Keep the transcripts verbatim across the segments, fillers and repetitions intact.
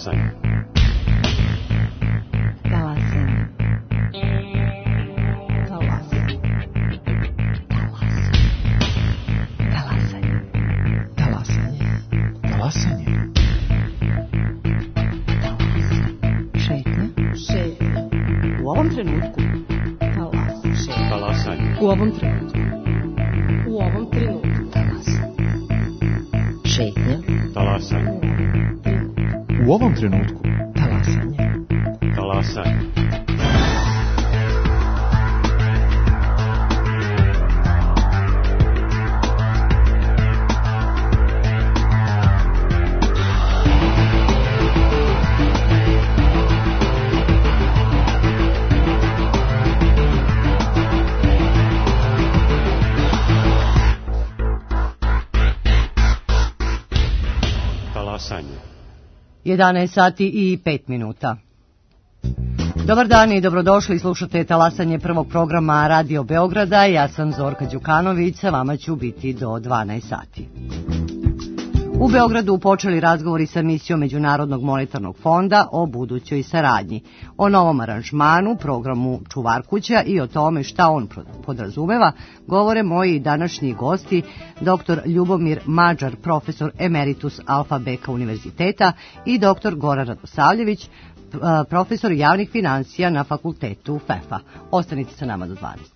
Talasanje. Talasanje. Talasanje. Talasanje. Talasanje. Talasanje. Šetnja. Šetnja. U ovom trenutku. Talasanje. Talasanje. U ovom trenutku. U ovom trenutku. Talasanje. Šetnja. Talasanje. U ovom trenutku. Talasanje. Talasanje. jedanaest sati i pet minuta. Dobar dan i dobrodošli, slušate Talasanje prvog programa Radio Beograda. Ja sam Zorka Đukanović, sa vama ću biti do dvanaest sati. U Beogradu počeli razgovori sa misijom Međunarodnog monetarnog fonda o budućoj saradnji, o novom aranžmanu, programu Čuvar kuća i o tome šta on podrazumeva, govore moji današnji gosti, doktor Ljubomir Mađar, profesor emeritus Alfa Beka univerziteta, i doktor Goran Radosavljević, profesor javnih finansija na fakultetu F E F-a. Ostanite sa nama do dvanaest.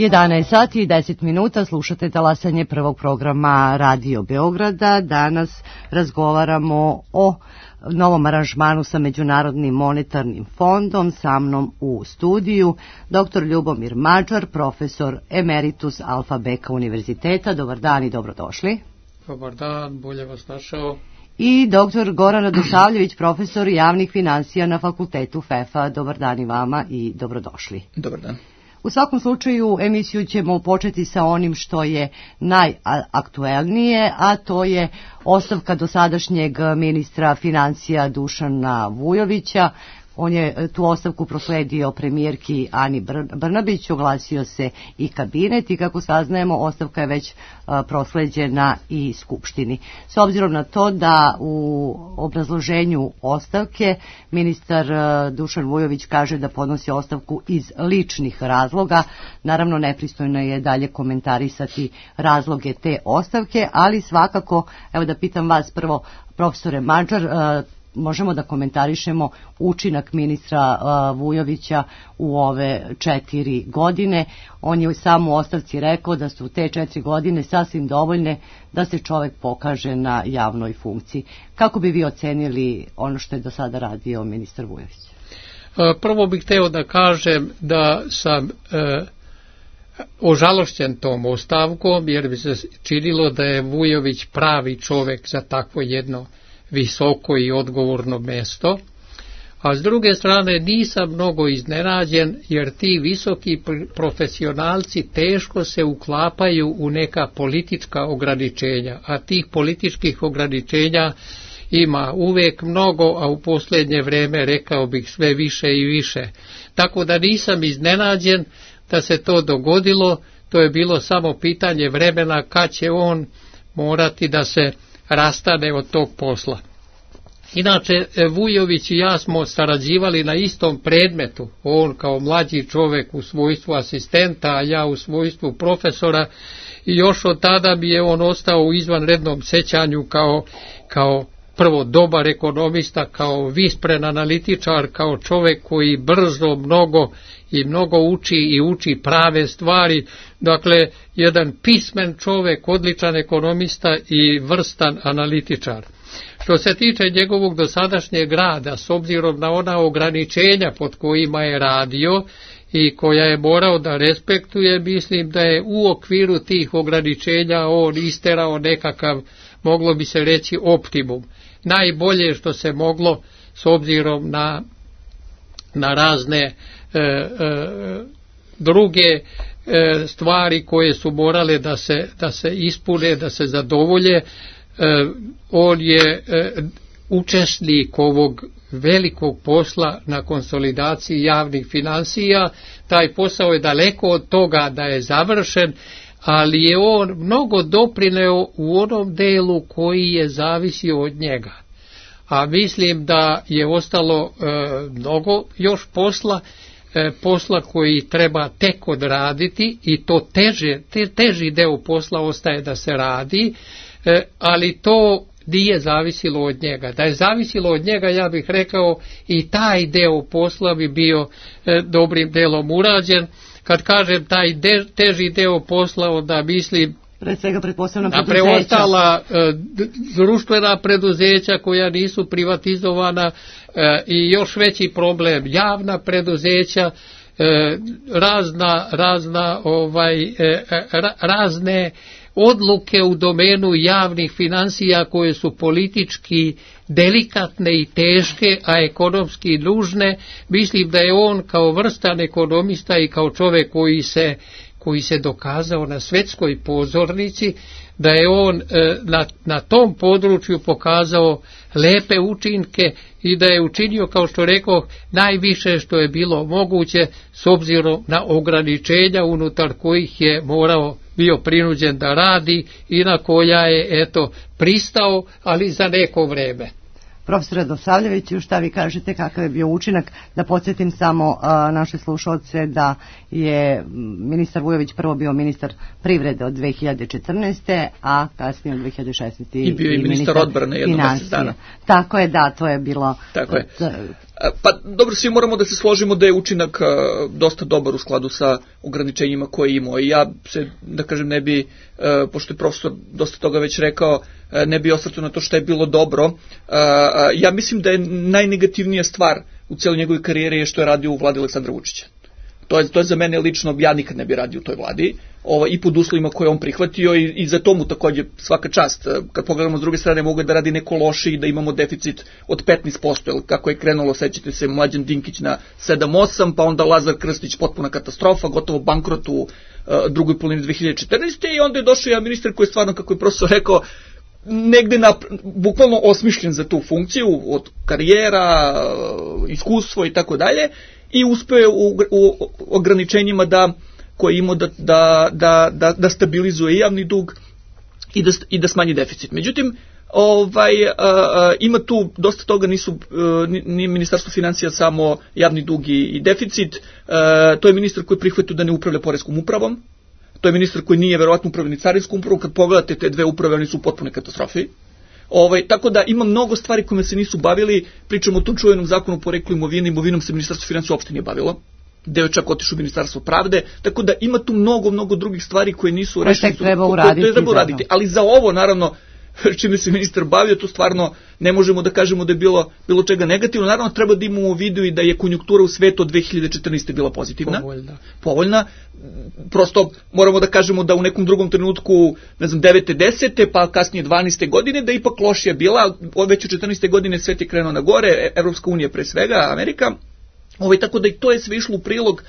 jedanaest sati i deset minuta, slušate Talasanje prvog programa Radio Beograda. Danas razgovaramo o novom aranžmanu sa Međunarodnim monetarnim fondom. Sa mnom u studiju doktor Ljubomir Mađar, profesor emeritus Alfa Beka univerziteta. Dobar dan i dobrodošli. Dobar dan, bolje vas našao. i doktor Goran Radosavljević, profesor javnih financija na fakultetu F E F-a. Dobar dan i vama i dobrodošli. Dobar dan. U svakom slučaju emisiju ćemo početi sa onim što je najaktuelnije, a to je ostavka dosadašnjeg ministra financija Dušana Vujovića. On je tu ostavku prosledio premijerki Ani Brnabić, oglasio se i kabinet i kako saznajemo ostavka je već prosleđena i Skupštini. S obzirom na to da u obrazloženju ostavke ministar Dušan Vujović kaže da podnosi ostavku iz ličnih razloga, naravno nepristojno je dalje komentarisati razloge te ostavke, ali svakako, evo da pitam vas prvo, profesore Mađar, možemo da komentarišemo učinak ministra uh, Vujovića u ove četiri godine. On je sam u ostavci rekao da su te četiri godine sasvim dovoljne da se čovjek pokaže na javnoj funkciji. Kako bi vi ocenili ono što je do sada radio ministar Vujović? Prvo bih hteo da kažem da sam uh, ožalošćen tom ostavkom, jer bi se činilo da je Vujović pravi čovjek za takvo jedno visoko i odgovorno mesto, a s druge strane nisam mnogo iznenađen, jer ti visoki profesionalci teško se uklapaju u neka politička ograničenja, a tih političkih ograničenja ima uvijek mnogo, a u posljednje vrijeme rekao bih sve više i više. Tako da nisam iznenađen da se to dogodilo, to je bilo samo pitanje vremena kad će on morati da se rastane od tog posla. Inače, Vujović i ja smo sarađivali na istom predmetu, on kao mlađi čovjek u svojstvu asistenta, a ja u svojstvu profesora, i još od tada bi je on ostao u izvanrednom sećanju kao, kao prvo dobar ekonomista, kao vispren analitičar, kao čovjek koji brzo mnogo i mnogo uči i uči prave stvari, dakle jedan pismen čovjek, odličan ekonomista i vrstan analitičar. Što se tiče njegovog dosadašnjeg rada, s obzirom na ona ograničenja pod kojima je radio i koja je morao da respektuje, mislim da je u okviru tih ograničenja on isterao nekakav, moglo bi se reći, optimum. Najbolje što se moglo s obzirom na, na razne e, e, druge e, stvari koje su morale da se, da se ispune, da se zadovolje. E, on je e, učesnik ovog velikog posla na konsolidaciji javnih financija. Taj posao je daleko od toga da je završen, ali je on mnogo doprineo u onom delu koji je zavisio od njega. A mislim da je ostalo e, mnogo još posla, e, posla koji treba tek odraditi, i to teže, te, teži deo posla ostaje da se radi, e, ali to nije zavisilo od njega. Da je zavisilo od njega, ja bih rekao, i taj deo posla bi bio e, dobrim delom urađen. Kad kažem taj de, teži deo posla, onda mislim pre svega pretpostavljam na preostala e, društvena preduzeća koja nisu privatizovana, e, i još veći problem javna preduzeća, e, razna, razna ovaj, e, ra, razne odluke u domenu javnih financija koje su politički delikatne i teške, a ekonomski nužne. Mislim da je on kao vrstan ekonomista i kao čovjek koji se, koji se dokazao na svjetskoj pozornici, da je on na, na tom području pokazao lepe učinke i da je učinio, kao što rekao, najviše što je bilo moguće s obzirom na ograničenja unutar kojih je morao bio prinuđen da radi i na koja je, eto, pristao, ali za neko vreme. Profesore Radosavljeviću, šta vi kažete, kakav je bio učinak? Da podsjetim samo a, naše slušalce da je ministar Vujović prvo bio ministar privrede od dve hiljade četrnaeste. a kasnije od dve hiljade šesnaeste. I bio i ministar odbrane jedno mjesec dana. Tako je, da, to je bilo. Tako je. Pa dobro, svi moramo da se složimo da je učinak dosta dobar u skladu sa ograničenjima koje imao. I ja se, da kažem, ne bi, pošto je profesor dosta toga već rekao, ne bi osvrtao na to što je bilo dobro. Ja mislim da je najnegativnija stvar u cijeloj njegovoj karijeri je što je radio u vladi Aleksandra Vučića. To je, to je za mene lično, ja nikad ne bi radio u toj vladi, ovaj, i pod uslovima koje on prihvatio i, i za tomu takođe svaka čast. Kad pogledamo s druge strane, mogu da radi neko loše i da imamo deficit od petnaest posto, jer kako je krenulo, sećate se, Mlađan Dinkić na sedam osam, pa onda Lazar Krstić, potpuna katastrofa, gotovo bankrot u uh, drugoj polovini dve hiljade četrnaeste. I onda je došao jedan ministar koji je stvarno, kako je profesor rekao, negde na, bukvalno osmišljen za tu funkciju, od karijera, iskustvo i tako dalje, i uspeo je u, u ograničenjima da, koje ima da, da, da, da, da stabilizuje javni dug i da, i da smanji deficit. Međutim, ovaj, a, a, ima tu dosta toga, nisu ni ministarstvo financija samo javni dug i, i deficit, a, to je ministar koji prihvatio da ne upravlja poreskom upravom, to je ministar koji nije verovatno upravlja ni carinskom upravom, kad pogledate te dve uprave, oni su u potpunoj katastrofi. Ovaj, tako da ima mnogo stvari kojima se nisu bavili, pričamo o tom čuvenom zakonu o poreklu imovine, imovinom se ministarstvo financija uopšte nije bavilo, deo je čak otišao u ministarstvo pravde, tako da ima tu mnogo, mnogo drugih stvari koje nisu rešene. Koje treba uraditi. Koje treba uraditi, ali za ovo, naravno, čime se ministar bavio, to stvarno ne možemo da kažemo da je bilo, bilo čega negativno. Naravno, treba da imamo u vidu i da je konjunktura u svetu od dve hiljade četrnaeste. bila pozitivna. Povoljna. Povoljna. Prosto moramo da kažemo da u nekom drugom trenutku, ne znam, devete, desete, pa kasnije dvanaeste. godine, da ipak lošija bila. Od već u četrnaeste. godine svet je krenuo na gore, Evropska unija pre svega, Amerika. Ovaj, tako da i to je sve išlo u prilog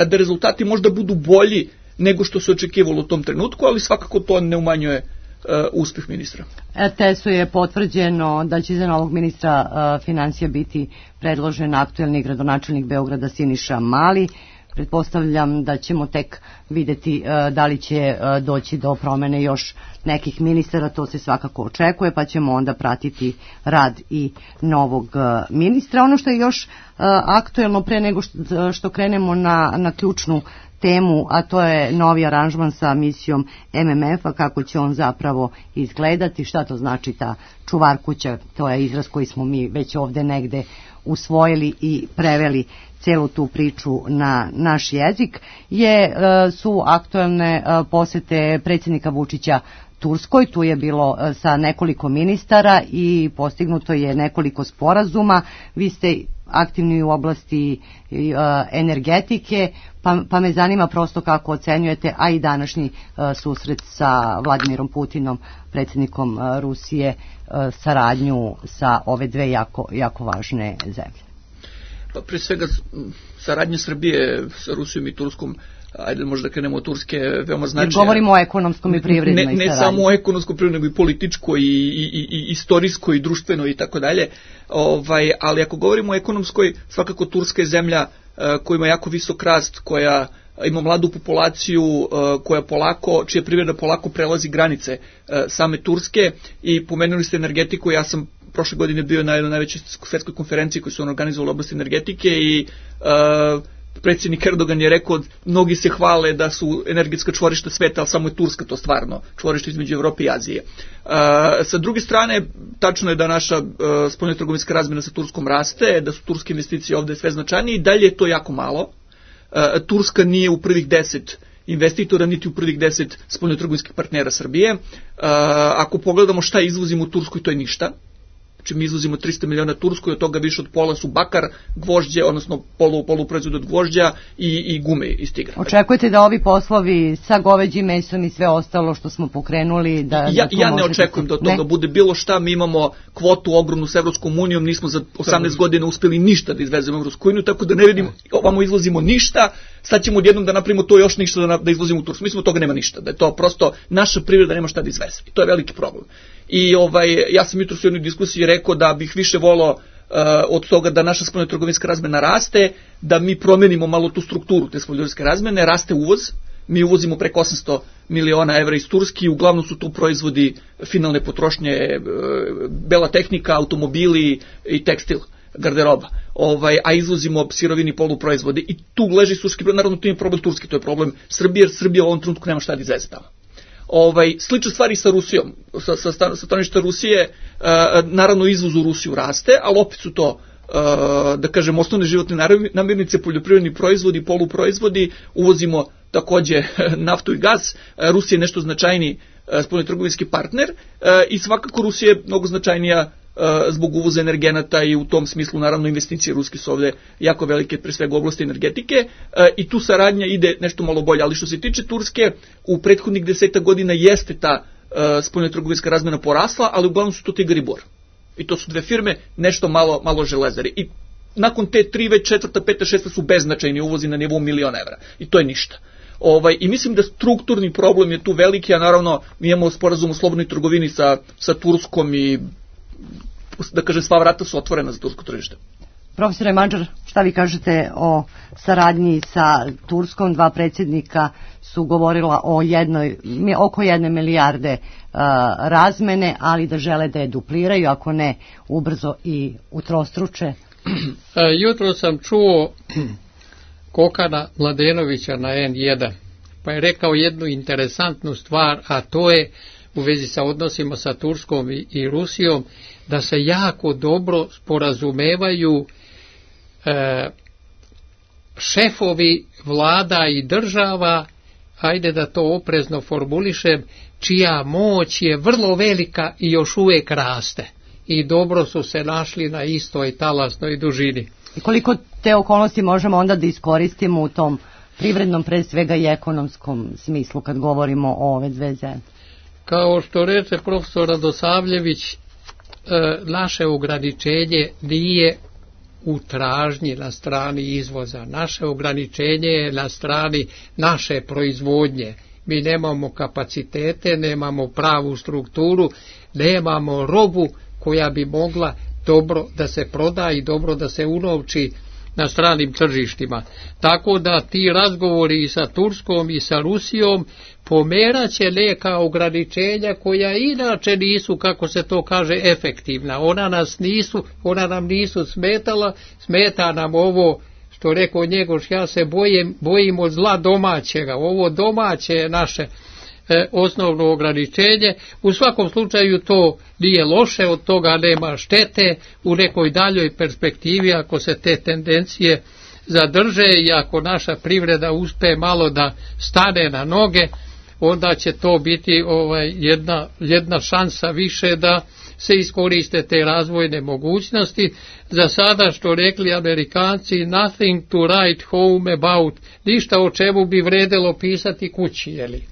da rezultati možda budu bolji nego što se očekivalo u tom trenutku, ali svakako to ne umanjuje Uh, uspeh ministra. er te esu je potvrđeno da će za novog ministra uh, financija biti predložen aktuelni gradonačelnik Beograda Siniša Mali. Pretpostavljam da ćemo tek videti uh, da li će uh, doći do promene još nekih ministara, to se svakako očekuje, pa ćemo onda pratiti rad i novog uh, ministra. Ono što je još uh, aktuelno pre nego što, što krenemo na, na ključnu temu, a to je novi aranžman sa misijom em em ef-a, kako će on zapravo izgledati, šta to znači ta čuvar kuća, to je izraz koji smo mi već ovde negde usvojili i preveli celu tu priču na naš jezik, je, su aktuelne posete predsjednika Vučića Turskoj. Tu je bilo sa nekoliko ministara i postignuto je nekoliko sporazuma. Vi ste aktivni u oblasti uh, energetike, pa, pa me zanima prosto kako ocenjujete, a i današnji uh, susret sa Vladimirom Putinom, predsjednikom uh, Rusije, uh, saradnju sa ove dve jako, jako važne zemlje. Pa pre svega saradnja Srbije sa Rusijom i Turskom, ajde možda krenemo od Turske, veoma značajna. Jer govorimo o ekonomskom i privrednoj saradnji. Ne, ne samo o ekonomskom, privrednoj, nego i političkoj, i, i, i, i istorijskoj, i društvenoj i tako dalje. Ovaj, ali ako govorimo o ekonomskoj, svakako Turska je zemlja uh, koja ima jako visok rast, koja ima mladu populaciju, uh, koja polako, čija privreda polako prelazi granice uh, same Turske, i pomenuli ste energetiku. Ja sam prošle godine bio na jednoj najvećoj svetskoj konferenciji koju su on organizovali u oblasti energetike i uh, predsjednik Erdogan je rekao, mnogi se hvale da su energetska čvorišta sveta, ali samo je Turska to stvarno čvorište između Evrope i Azije. Uh, sa druge strane, tačno je da naša uh, spoljnotrgovinska razmjena sa Turskom raste, da su turske investicije ovde sve značajnije, i dalje je to jako malo. Uh, Turska nije u prvih deset investitora, niti u prvih deset spoljnotrgovinskih partnera Srbije. Uh, ako pogledamo šta izvozimo u Turskoj, to je ništa. Znači mi izvozimo trista miliona Turskoj, od toga više od pola su bakar, gvožđe, odnosno polu, poluproizvod od gvožđa i, i gume iz tigra. Očekujete da ovi poslovi sa goveđim mesom i sve ostalo što smo pokrenuli, da... Ja, da ja ne očekujem da od toga ne? bude bilo šta. Mi imamo kvotu ogromnu s Evropskom unijom, nismo za osamnaest godina uspeli ništa da izvezemo u Evropsku uniju, tako da ne vidim, ovamo izvozimo ništa, sad ćemo odjednom da napravimo to još ništa da, da izvozimo u Tursku. Mislim, od toga nema ništa, da je to prosto naša privreda nema šta da izveze. I to je veliki problem. I ovaj, ja sam jutros u jednoj diskusiji rekao da bih više volao uh, od toga da naša spoljnotrgovinska razmena raste, da mi promenimo malo tu strukturu te spoljnotrgovinske razmene, raste uvoz, mi uvozimo preko osamsto miliona evra iz Turski, uglavnom su tu proizvodi finalne potrošnje, uh, bela tehnika, automobili i tekstil, garderoba, ovaj, a izvozimo sirovini, poluproizvode, i tu leži suški problem. Naravno, to nije problem Turski, to je problem Srbije, jer Srbija u ovom trenutku nema šta da izveze tamo. Ovaj, slične stvari sa Rusijom, sa, sa, sa stanovišta Rusije, uh, naravno izvoz u Rusiju raste, ali opet su to, uh, da kažem, osnovne životne namirnice, poljoprivredni proizvodi, poluproizvodi, uvozimo takođe naftu i gas. uh, Rusija je nešto značajniji uh, spoljnotrgovinski partner, uh, i svakako Rusija je mnogo značajnija zbog uvoza energenata i u tom smislu naravno investicije ruske su ovde jako velike, pre svega u oblasti energetike, i tu saradnja ide nešto malo bolje, ali što se tiče Turske, u prethodnih deseta godina jeste ta spoljnotrgovinska razmena porasla, ali uglavnom su to Tigar i Bor. I to su dve firme, nešto malo, malo Železare. I nakon te tri, već četvrta, peta, šesta su beznačajni uvozi na nivou miliona evra. I to je ništa. Ovaj, I mislim da strukturni problem je tu veliki, a naravno mi imamo sporazum o slobodnoj trgovini sa, sa Turskom i, da kažem, sva vrata su otvorena za tursko tržište. Profesore Mađar, šta vi kažete o saradnji sa Turskom? Dva predsjednika su govorila o jednoj, oko jedne milijarde uh, razmene, ali da žele da je dupliraju, ako ne ubrzo i utrostruče. Jutro sam čuo Kokana Mladenovića na en jedan, pa je rekao jednu interesantnu stvar, a to je u vezi sa odnosima sa Turskom i, i Rusijom, da se jako dobro sporazumevaju e, šefovi vlada i država, ajde da to oprezno formulišem, čija moć je vrlo velika i još uvijek raste. I dobro su se našli na istoj talasnoj dužini. I koliko te okolnosti možemo onda da iskoristimo u tom privrednom, pre svega i ekonomskom smislu, kad govorimo o ove dve zemlje? Kao što reče profesor Radosavljević, naše ograničenje nije u tražnji na strani izvoza. Naše ograničenje je na strani naše proizvodnje. Mi nemamo kapacitete, nemamo pravu strukturu, nemamo robu koja bi mogla dobro da se proda i dobro da se unovči na stranim tržištima. Tako da ti razgovori i sa Turskom i sa Rusijom pomeraće neka ograničenja koja inače nisu, kako se to kaže, efektivna. Ona nas nisu, ona nam nisu smetala, smeta nam ovo što rekao Njegoš, ja se bojim, bojim od zla domaćega. Ovo domaće je naše e, osnovno ograničenje. U svakom slučaju to nije loše, od toga nema štete u nekoj daljoj perspektivi ako se te tendencije zadrže i ako naša privreda uspe malo da stane na noge, onda će to biti ovaj, jedna, jedna šansa više da se iskoriste te razvojne mogućnosti. Za sada, što rekli Amerikanci, nothing to write home about, ništa o čemu bi vredelo pisati kući, jeli?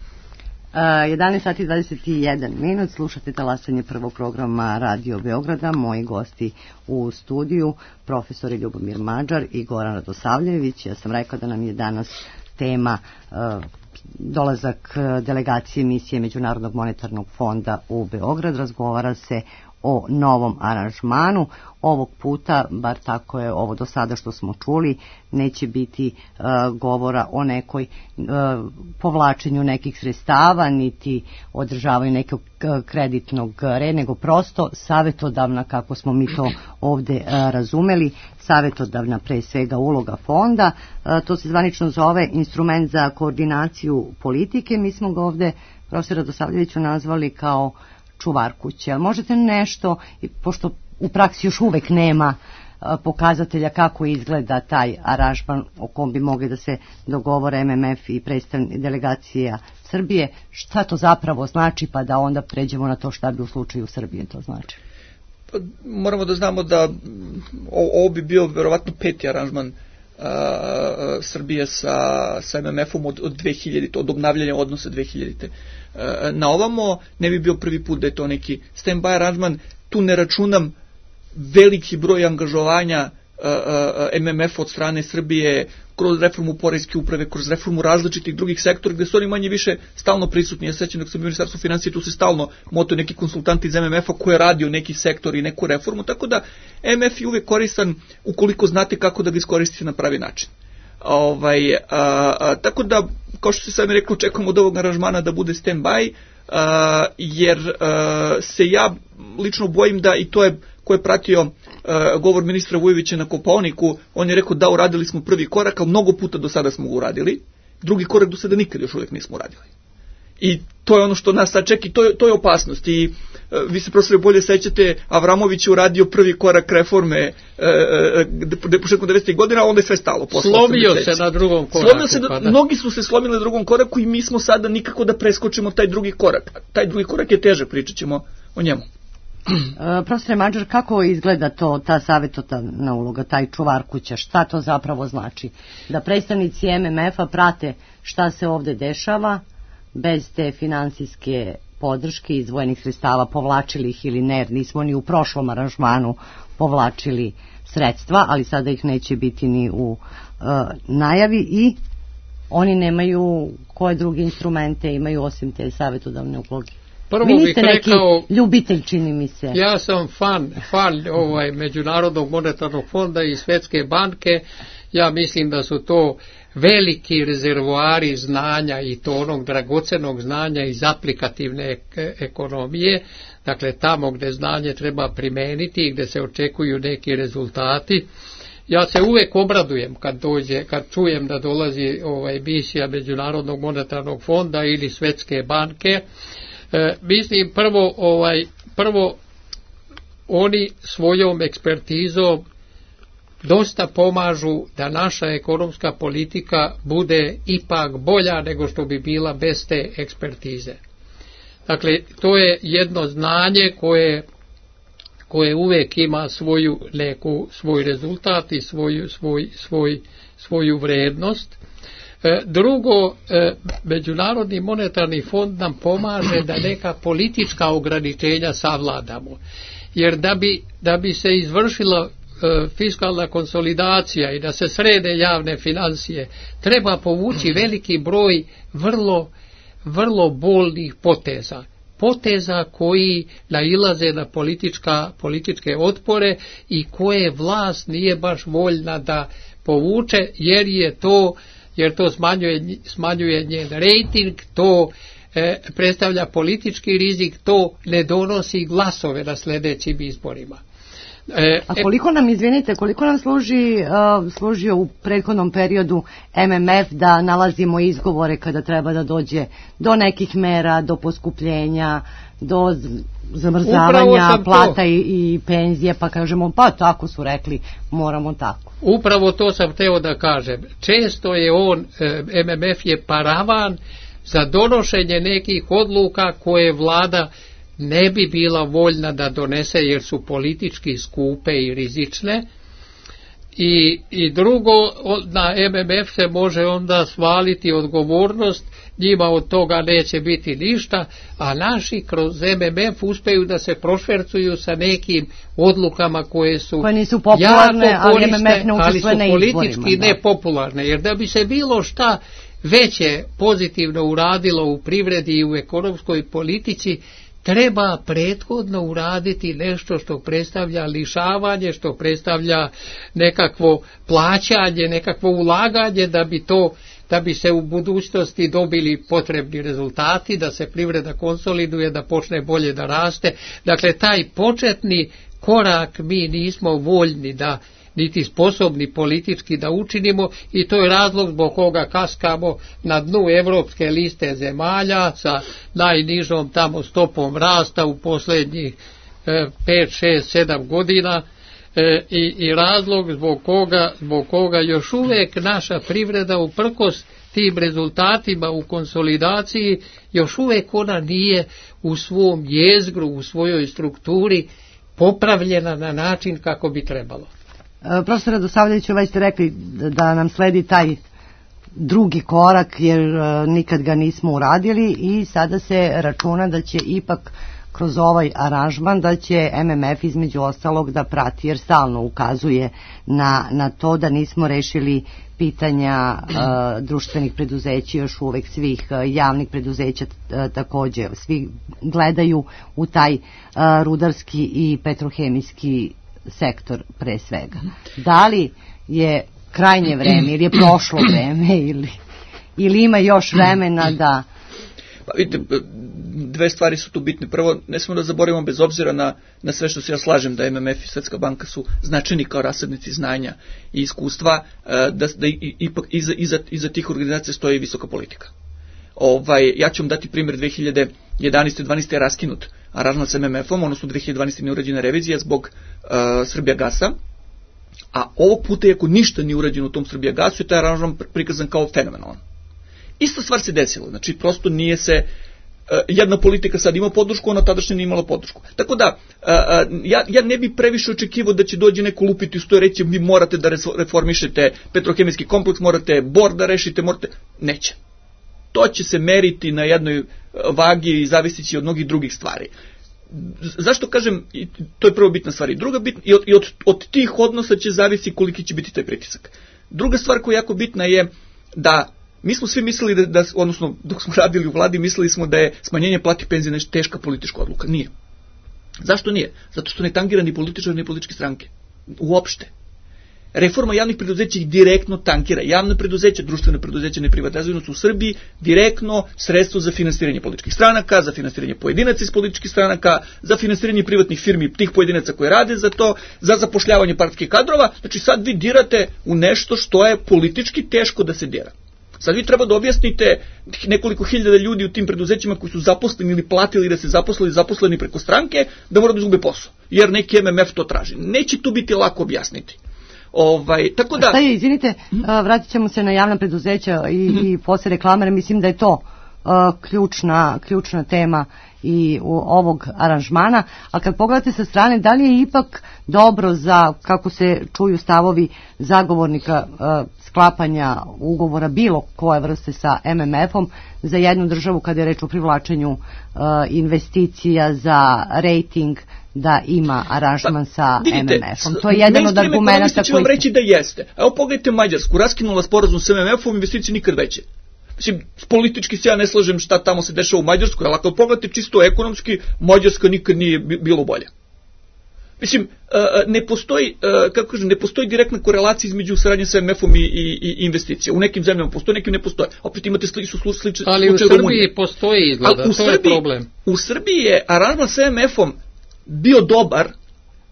jedanaest sati i dvadeset jedan minut, slušate talasanje prvog programa Radio Beograda. Moji gosti u studiju, profesori Ljubomir Mađar i Goran Radosavljević. Ja sam rekla da nam je danas tema uh, dolazak delegacije misije Međunarodnog monetarnog fonda u Beograd. Razgovara se o novom aranžmanu. Ovog puta, bar tako je ovo do sada što smo čuli, neće biti uh, govora o nekoj uh, povlačenju nekih sredstava, niti održavanju nekog uh, kreditnog reda, nego prosto savjetodavna, kako smo mi to ovde uh, razumeli, savjetodavna pre svega uloga fonda. Uh, to se zvanično zove instrument za koordinaciju politike. Mi smo ga ovde, profesor Radosavljeviću, nazvali kao čuvar kuće. Ali možete nešto, pošto u praksi još uvek nema pokazatelja kako izgleda taj aranžman o kom bi mogli da se dogovore M M F i predstavnik delegacija Srbije, šta to zapravo znači, pa da onda pređemo na to šta bi u slučaju Srbije to znači? Pa, moramo da znamo da ovo bi bio verovatno peti aranžman Uh, Srbije sa, sa M M F-om od, od dve hiljadite, od obnavljanja odnosa dve hiljadite. Uh, na ovamo ne bi bio prvi put da je to neki stand-by aranžman. Tu ne računam veliki broj angažovanja uh, uh, M M F od strane Srbije kroz reformu poreske uprave, kroz reformu različitih drugih sektora, gde su oni manje više stalno prisutni. Ja se sećam dok sam u Ministarstvu financija, tu se stalno moto neki konsultanti iz M M F-a koji je radio neki sektor i neku reformu, tako da M M F je uvek koristan ukoliko znate kako da ga iskoristite na pravi način. Ovaj, a, a, tako da, kao što se sami rekli, čekamo od ovog aranžmana da bude stand-by, a, jer a, se ja lično bojim da, i to je ko je pratio uh, govor ministra Vujovića na Kopaoniku, on je rekao da uradili smo prvi korak, ali mnogo puta do sada smo ga uradili, drugi korak do sada nikad još uvijek nismo uradili. I to je ono što nas sad čeka i to je, to je opasnost. I uh, vi se profesore bolje sećate, Avramović je uradio prvi korak reforme uh, početkom devedesetih godina, a onda je sve stalo. Slomio se na drugom koraku. Slomio se, da, mnogi su se slomili na drugom koraku i mi smo sada nikako da preskočimo taj drugi korak. Taj drugi korak je teže, pričat ćemo o njemu. Profesore Mađar, kako izgleda to, ta savjetodavna uloga, taj čuvar kuća, šta to zapravo znači? Da predstavnici M M F-a prate šta se ovde dešava, bez te finansijske podrške izdvojenih sredstava, povlačili ih ili ne, jer nismo ni u prošlom aranžmanu povlačili sredstva, ali sada ih neće biti ni u uh, najavi i oni nemaju koje druge instrumente imaju osim te savjetodavne uloge. Prvo Vi niste bih neki rekao, ljubitelj, čini mi se. Ja sam fan, fan ovaj, Međunarodnog monetarnog fonda i Svetske banke. Ja mislim da su to veliki rezervoari znanja i to onog dragocenog znanja iz aplikativne ek- ekonomije. Dakle, tamo gde znanje treba primeniti i gde se očekuju neki rezultati. Ja se uvek obradujem kad dođe, kad čujem da dolazi ovaj misija Međunarodnog monetarnog fonda ili Svetske banke. E, mislim prvo ovaj prvo oni svojom ekspertizom dosta pomažu da naša ekonomska politika bude ipak bolja nego što bi bila bez te ekspertize. Dakle, to je jedno znanje koje koje uvek ima svoju neku svoj rezultat i svoju svoj svoj svoju vrednost. Drugo, Međunarodni monetarni fond nam pomaže da neka politička ograničenja savladamo. Jer da bi, da bi se izvršila fiskalna konsolidacija i da se srede javne financije, treba povući veliki broj vrlo, vrlo bolnih poteza. Poteza koji nailaze na politička, političke otpore i koje vlast nije baš voljna da povuče, jer je to jer to smanjuje, smanjuje njen rejting, to e, predstavlja politički rizik, to ne donosi glasove na sljedećim izborima. E, A koliko nam, izvinite, koliko nam služi, uh, služio u prethodnom periodu M M F da nalazimo izgovore kada treba da dođe do nekih mera, do poskupljenja, do zamrzavanja plata i, i penzije, pa kažemo, pa tako su rekli, moramo tako. Upravo to sam hteo da kažem. Često je on, M M F je paravan za donošenje nekih odluka koje vlada ne bi bila voljna da donese jer su politički skupe i rizične. I, i drugo, na M M F se može onda svaliti odgovornost, njima od toga neće biti ništa, a naši kroz M M F uspeju da se prošvercuju sa nekim odlukama koje su koje nisu popularne, jako korisne, ali M M F ne ali su na politički izborima, nepopularne. Jer da bi se bilo šta veće pozitivno uradilo u privredi i u ekonomskoj politici, treba prethodno uraditi nešto što predstavlja lišavanje, što predstavlja nekakvo plaćanje, nekakvo ulaganje da bi to, da bi se u budućnosti dobili potrebni rezultati, da se privreda konsoliduje, da počne bolje da raste. Dakle, taj početni korak mi nismo voljni da niti sposobni politički da učinimo i to je razlog zbog koga kaskamo na dnu evropske liste zemalja sa najnižom tamo stopom rasta u posljednjih pet, šest, sedam godina e, i, i razlog zbog koga, zbog koga još uvek naša privreda uprkos tim rezultatima u konsolidaciji još uvek ona nije u svom jezgru, u svojoj strukturi popravljena na način kako bi trebalo. Profesor Radosavljević, ovaj ste rekli da nam sledi taj drugi korak jer nikad ga nismo uradili i sada se računa da će ipak kroz ovaj aranžman da će M M F između ostalog da prati jer stalno ukazuje na, na to da nismo rešili pitanja uh, društvenih preduzeća, još uvek svih uh, javnih preduzeća uh, takođe. Svi gledaju u taj uh, rudarski i petrohemijski sektor pre svega. Da li je krajnje vreme ili je prošlo vreme ili, ili ima još vremena da... Pa vidite, dve stvari su tu bitne. Prvo, ne smemo da zaboravimo bez obzira na, na sve što se ja slažem da M M F i Svetska banka su značajni kao rasadnici znanja i iskustva, da, da ipak iza, iza, iza tih organizacija stoji visoka politika. Ovaj, ja ću vam dati primjer dve hiljade jedanaeste. dvanaeste. je raskinut aranžman sa M M F-om, odnosno dve hiljade dvanaeste. nije urađena revizija zbog uh, Srbijagasa, a ovog puta, iako ništa nije urađeno u tom Srbijagasu, je taj aranžman prikazan kao fenomenalan. Ista stvar se desila, znači prosto nije se jedna politika sad ima podršku, ona tadašnja nije imala podršku. Tako da, ja, ja ne bi previše očekivao da će dođe neko lupiti uz to i reći vi morate da reformišete petrohemijski kompleks, morate bor da rešite, morate... Neće. To će se meriti na jednoj vagi i zavisići od mnogih drugih stvari. Zašto kažem, to je prvo bitna stvar. I druga bitna, i od, i od, od tih odnosa će zavisi koliki će biti taj pritisak. Druga stvar koja je jako bitna je da mi smo svi mislili da, da, odnosno dok smo radili u vladi, mislili smo da je smanjenje plati penzije nešto teška politička odluka. Nije. Zašto nije? Zato što ne tangira ni političari ni političke stranke. Uopšte. Reforma javnih preduzeća ih direktno tankira. Javne preduzeća, društvene preduzeća, neprivatizacijone su u Srbiji direktno sredstvo za finansiranje političkih stranaka, za finansiranje pojedinaca iz političkih stranaka, za finansiranje privatnih firmi tih pojedinaca koje rade za to, za zapošljavanje partijskih kadrova. Znači sad vi dirate u nešto što je politički teško da se dira. Sad vi treba da objasnite nekoliko hiljada ljudi u tim preduzećima koji su zaposleni ili platili da se zaposlili zaposleni preko stranke, da mora da izgube posao, jer neki M M F to traži. Neće tu biti lako objasniti. Ovaj, tako da... Šta je, izvinite, vratit ćemo se na javna preduzeća i, mm-hmm. i posle reklamera, mislim da je to uh, ključna, ključna tema i u ovog aranžmana, a kad pogledate sa strane, da li je ipak dobro za, kako se čuju stavovi zagovornika uh, sklapanja ugovora bilo koje vrste sa M M F-om za jednu državu kada je reč o privlačenju uh, investicija za rating, da ima aranžman sa vidite, M M F-om. To je jedan od argumenta koji... vam reći da jeste. Evo pogledajte Mađarsku, raskinula sporazum sa M M F-om, investicije nikad veće. Mislim, politički se ja ne slažem šta tamo se dešava u Mađarskoj, ali ako pogledate čisto ekonomski, Mađarska nikad nije bilo bolja. Mislim, ne postoji, kako kažem, ne postoji direktna korelacija između saradnje sa M M F-om i, i, i investicija. U nekim zemljama postoji, nekim ne postoje. Opet imate sli, su slične slučaje. Ali u Srbiji postoji izgleda, to Srbiji, je problem. U Srbiji je aranžman sa M M F-om bio dobar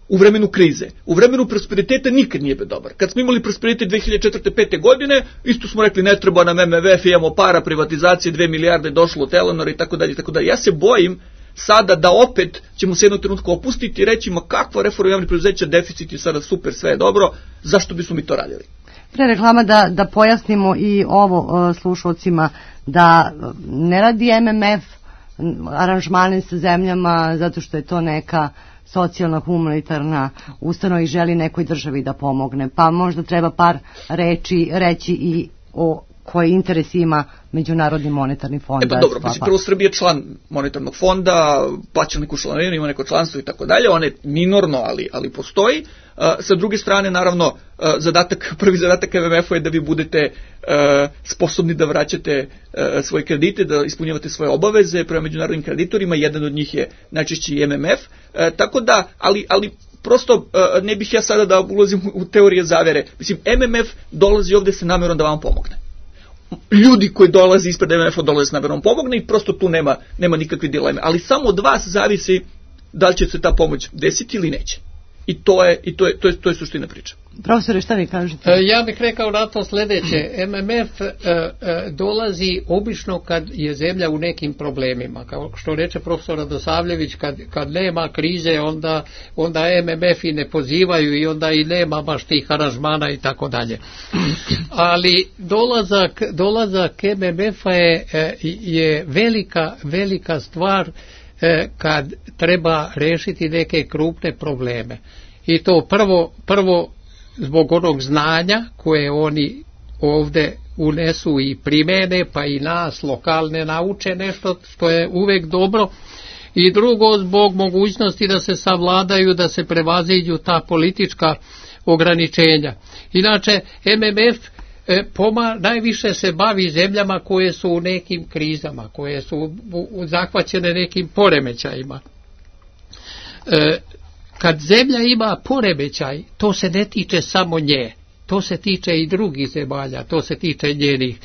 u vremenu krize. U vremenu prosperiteta nikad nije bio dobar. Kad smo imali prosperitet dve hiljade četvrte pete godine, isto smo rekli ne treba nam M M F, imamo para, privatizacije, dve milijarde došlo od Telenora i tako dalje i tako dalje. Ja se bojim sada da opet ćemo se jednog trenutka opustiti i reći ma kakva reforma javnih preduzeća, deficit je sada super, sve je dobro, zašto bismo mi to radili? Pre reklama da, da pojasnimo i ovo uh, slušalcima, da ne radi M M F aranžmane sa zemljama zato što je to neka socijalna, humanitarna ustanova i želi nekoj državi da pomogne. Pa možda treba par reči reći i o koji interes ima Međunarodni monetarni fond. E pa dobro, mislim, prvo Srbija je član monetarnog fonda, plaća neku članarinu, ima neko članstvo i tako dalje, on je minorno, ali, ali postoji. Uh, sa druge strane, naravno, uh, zadatak, prvi zadatak M M F-a je da vi budete uh, sposobni da vraćate uh, svoje kredite, da ispunjavate svoje obaveze prema međunarodnim kreditorima, jedan od njih je najčešće i M M F, uh, tako da, ali, ali prosto uh, ne bih ja sada da ulazim u teorije zavere. Mislim, M M F dolazi ovde sa namerom da vam pomogne. Ljudi koji dolaze ispred M M F-a dolaze s namerom pomogne i prosto tu nema, nema nikakve dileme. Ali samo od vas zavisi da li će se ta pomoć desiti ili neće. I to je, i to je, to je, to je suština priče. Profesore, šta vi kažete? Ja bih rekao na to sljedeće. M M F e, e, dolazi obično kad je zemlja u nekim problemima. Kao što reče profesor Radosavljević, kad, kad nema krize, onda, onda M M F i ne pozivaju i onda i nema baš tih aranžmana i tako dalje. Ali dolazak, dolazak M M F-a je, je velika, velika stvar kad treba rešiti neke krupne probleme. I to prvo, prvo zbog onog znanja koje oni ovde unesu i primene, pa i nas lokalne nauče nešto što je uvek dobro. I drugo zbog mogućnosti da se savladaju, da se prevaziđu ta politička ograničenja. Inače, M M F E, poma, najviše se bavi zemljama koje su u nekim krizama, koje su u, u, zahvaćene nekim poremećajima. E, kad zemlja ima poremećaj, to se ne tiče samo nje, to se tiče i drugih zemalja, to se tiče njenih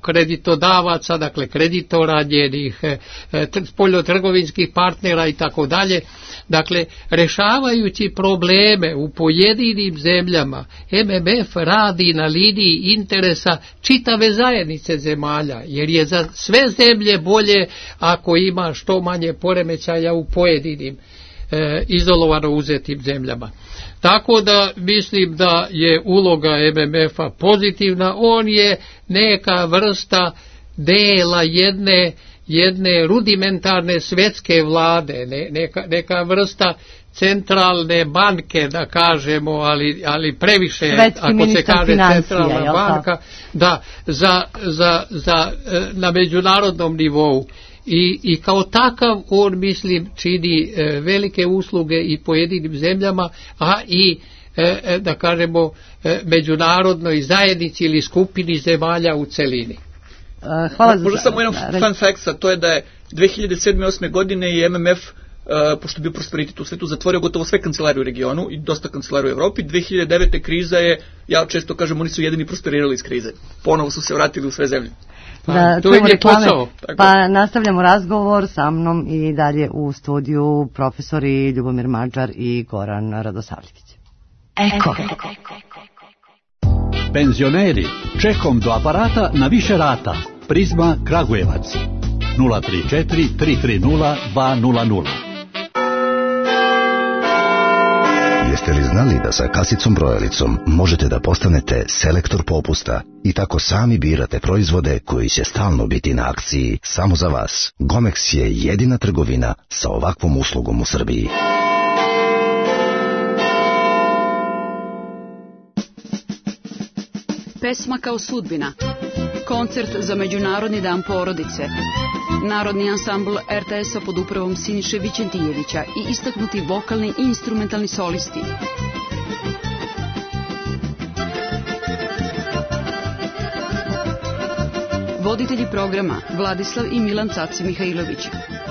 kreditodavaca, dakle kreditora, njenih e, spoljnotrgovinskih partnera i tako dalje. Dakle, rešavajući probleme u pojedinim zemljama, M M F radi na liniji interesa čitave zajednice zemalja, jer je za sve zemlje bolje ako ima što manje poremećaja u pojedinim e, izolovano uzetim zemljama. Tako da mislim da je uloga M M F-a pozitivna, on je neka vrsta dela jedne jedne rudimentarne svetske vlade, ne, neka, neka vrsta centralne banke, da kažemo, ali, ali previše, svetski ako se kaže centralna jel banka, da, za, za, za, na međunarodnom nivou. I, i kao takav on, mislim, čini e, velike usluge i pojedinim zemljama, a i e, da kažemo e, međunarodnoj zajednici ili skupini zemalja u celini. Hvala za... Možda samo jedan fun fact, a to je da je dve hiljade sedme i osme godine i M M F, uh, pošto je bio prosperitet u svetu, zatvorio gotovo sve kancelarije u regionu i dosta kancelarije u Evropi. dve hiljade devete kriza je, ja često kažem, oni su jedini prosperirali iz krize. Ponovo su se vratili u sve zemlje. Da, to je reklame, pa nastavljamo razgovor sa mnom i dalje u studiju profesori Ljubomir Mađar i Goran Radosavljević. Eko. Penzioneri, čekom do aparata na više rata. Prizma Kragujevac. nula tri četiri tri tri nula dva nula nula. Jeste li znali da sa kasicom brojalicom možete da postanete selektor popusta i tako sami birate proizvode koji će stalno biti na akciji samo za vas? Gomex je jedina trgovina sa ovakvom uslugom u Srbiji. Pesma kao sudbina. Koncert za Međunarodni dan porodice. Narodni ansambl R T S-a pod upravom Siniše Vićentijevića i istaknuti vokalni i instrumentalni solisti. Voditelji programa Vladislav i Milan Caci Mihajlović.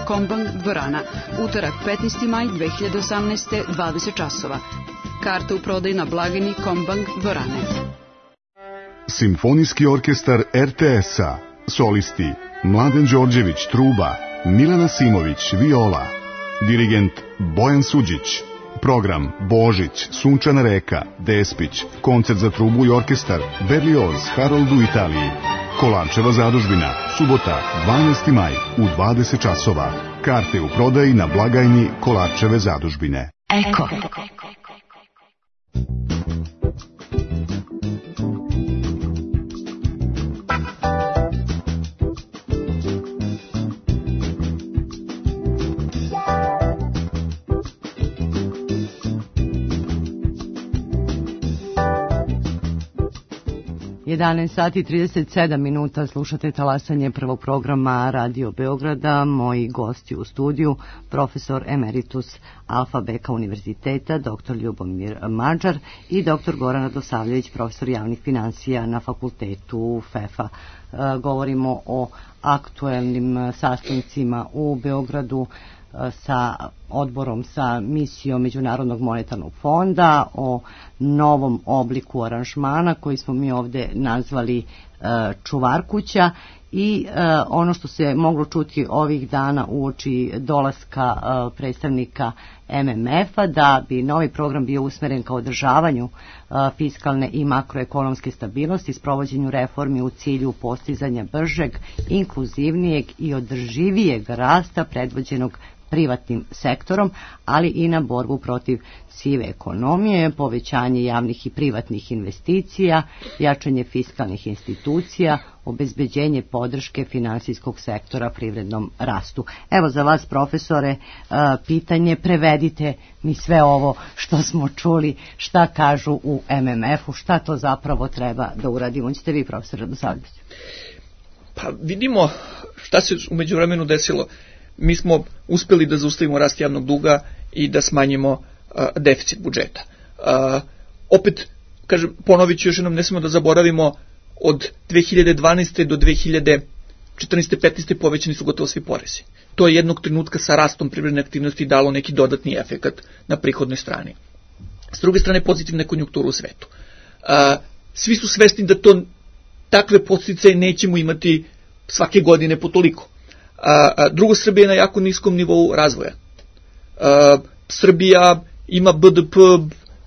Kombank dvorana. Utorak petnaesti maj dve hiljade osamnaeste. dvadeset časova. Karte u prodaji na blagajni Kombank dvorane. Simfonijski orkestar R T S-a. Solisti Mladen Đorđević truba, Milana Simović viola, dirigent Bojan Suđić. Program Božić, Sunčana reka, Despić, koncert za trubu i orkestar, Berlioz, Harold u Italiji. Kolarčeva zadužbina, subota, dvanaesti maj u dvadeset časova. Karte u prodaji na blagajni Kolarčeve zadužbine. Eko. jedanaest sati i trideset sedam minuta, slušate talasanje prvog programa Radio Beograda. Moji gosti u studiju, profesor emeritus Alfa Beka univerziteta, doktor Ljubomir Mađar i doktor Goran Radosavljević, profesor javnih financija na fakultetu F E F a. E, govorimo o aktuelnim sastancima u Beogradu sa odborom, sa misijom Međunarodnog monetarnog fonda, o novom obliku aranžmana koji smo mi ovdje nazvali e, čuvarkuća i e, ono što se moglo čuti ovih dana uoči dolaska e, predstavnika M M F-a, da bi novi program bio usmeren ka održavanju e, fiskalne i makroekonomske stabilnosti, sprovođenju reformi u cilju postizanja bržeg, inkluzivnijeg i održivijeg rasta predvođenog privatnim sektorom, ali i na borbu protiv sive ekonomije, povećanje javnih i privatnih investicija, jačanje fiskalnih institucija, obezbeđenje podrške finansijskog sektora privrednom rastu. Evo za vas, profesore, pitanje, prevedite mi sve ovo što smo čuli, šta kažu u M M F-u, šta to zapravo treba da uradimo. Ćete vi, profesor Radosavljević? Pa vidimo šta se u međuvremenu desilo. Mi smo uspeli da zaustavimo rast javnog duga i da smanjimo uh, deficit budžeta. Uh, opet, kažem, ponovit ću još jednom, ne smemo da zaboravimo, od dve hiljade dvanaeste do dve hiljade četrnaeste petnaeste povećani su gotovo svi porezi. To je jednog trenutka sa rastom privredne aktivnosti dalo neki dodatni efekat na prihodnoj strani. S druge strane, pozitivna konjunktura u svetu. Uh, svi su svesni da to takve podsticaje nećemo imati svake godine po toliko. A, a, drugo, Srbija je na jako niskom nivou razvoja. A, Srbija ima B D P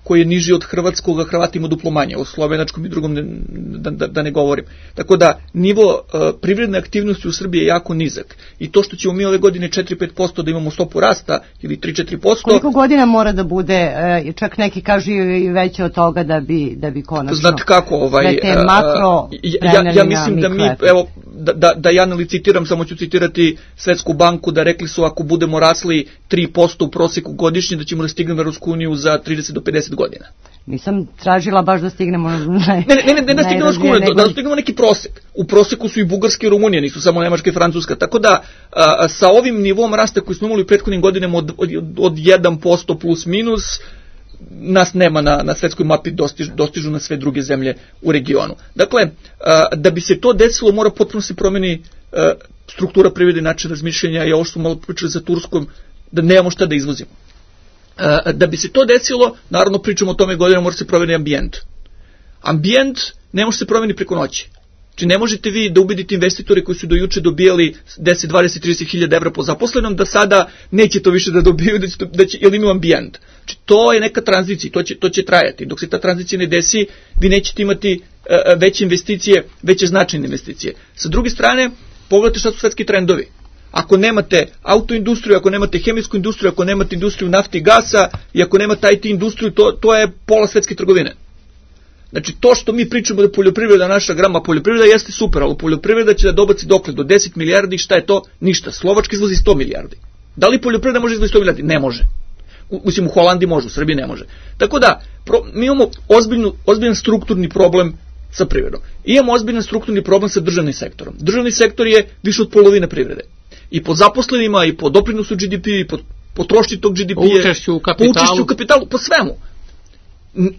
koji je niži od hrvatskog, a Hrvati ima duplo manje, o slovenačkom i drugom ne, da, da, da ne govorim. Tako da nivo a, privredne aktivnosti u Srbiji je jako nizak. I to što ćemo mi ove godine četiri do pet posto da imamo stopu rasta ili tri do četiri posto... Koliko godina mora da bude, čak neki kažu i veće od toga da bi, da bi konačno... Znate kako, ovaj... Da te makro ja, ja mislim da mi, evo, da, da, da ja ne licitiram, samo ću citirati Svetsku banku, da rekli su ako budemo rasli tri posto u proseku godišnje, da ćemo da stignemo Evropsku uniju za trideset do pedeset godina. Nisam tražila baš da stignemo... Ne, ne, ne, ne da stignemo Evropsku uniju, nego... da stignemo neki prosek. U proseku su i Bugarska i Rumunija, nisu samo Nemačka i Francuska. Tako da, a, sa ovim nivom rasta koji smo imali u prethodnim godinama od, od, od jedan posto plus minus, nas nema na, na svetskoj mapi, dostižu, dostižu na sve druge zemlje u regionu. Dakle, a, da bi se to desilo, mora potpuno se promeni a, struktura privrede, način razmišljanja, i ovo što smo malo pričali za Turskom, da nemamo šta da izvozimo. A, da bi se to desilo, naravno pričamo o tome godinama, mora se promeni ambijent. Ambijent ne može se promeni preko noći. Znači ne možete vi da ubedite investitore koji su do juče dobijali deset, dvadeset, trideset hiljada evra po zaposlenom, da sada neće to više da dobiju, da će, da će, jer imaju ambijent. Znači to je neka tranzicija, to će, to će trajati. Dok se ta tranzicija ne desi, vi nećete imati uh, veće investicije, veće značajne investicije. Sa druge strane, pogledajte šta su svetski trendovi. Ako nemate autoindustriju, ako nemate hemijsku industriju, ako nemate industriju nafte i gasa, i ako nemate I T industriju, to, to je pola svetske trgovine. Znači, to što mi pričamo da poljoprivreda naša grama, poljoprivreda jeste super, ali poljoprivreda će da dobaci dokle do deset milijardi, šta je to? Ništa. Slovačka izvozi sto milijardi. Da li poljoprivreda može izvozi sto milijardi? Ne može. U, mislim, u Holandiji može, u Srbiji ne može. Tako da, pro, mi imamo ozbiljnu, ozbiljan strukturni problem sa privredom. I imamo ozbiljan strukturni problem sa državnim sektorom. Državni sektor je više od polovine privrede. I po zaposlenima, i po doprinosu G D P, i po potrošnji tog G D P-a, učešću u kapitalu, po učešću u kapitalu, po svemu.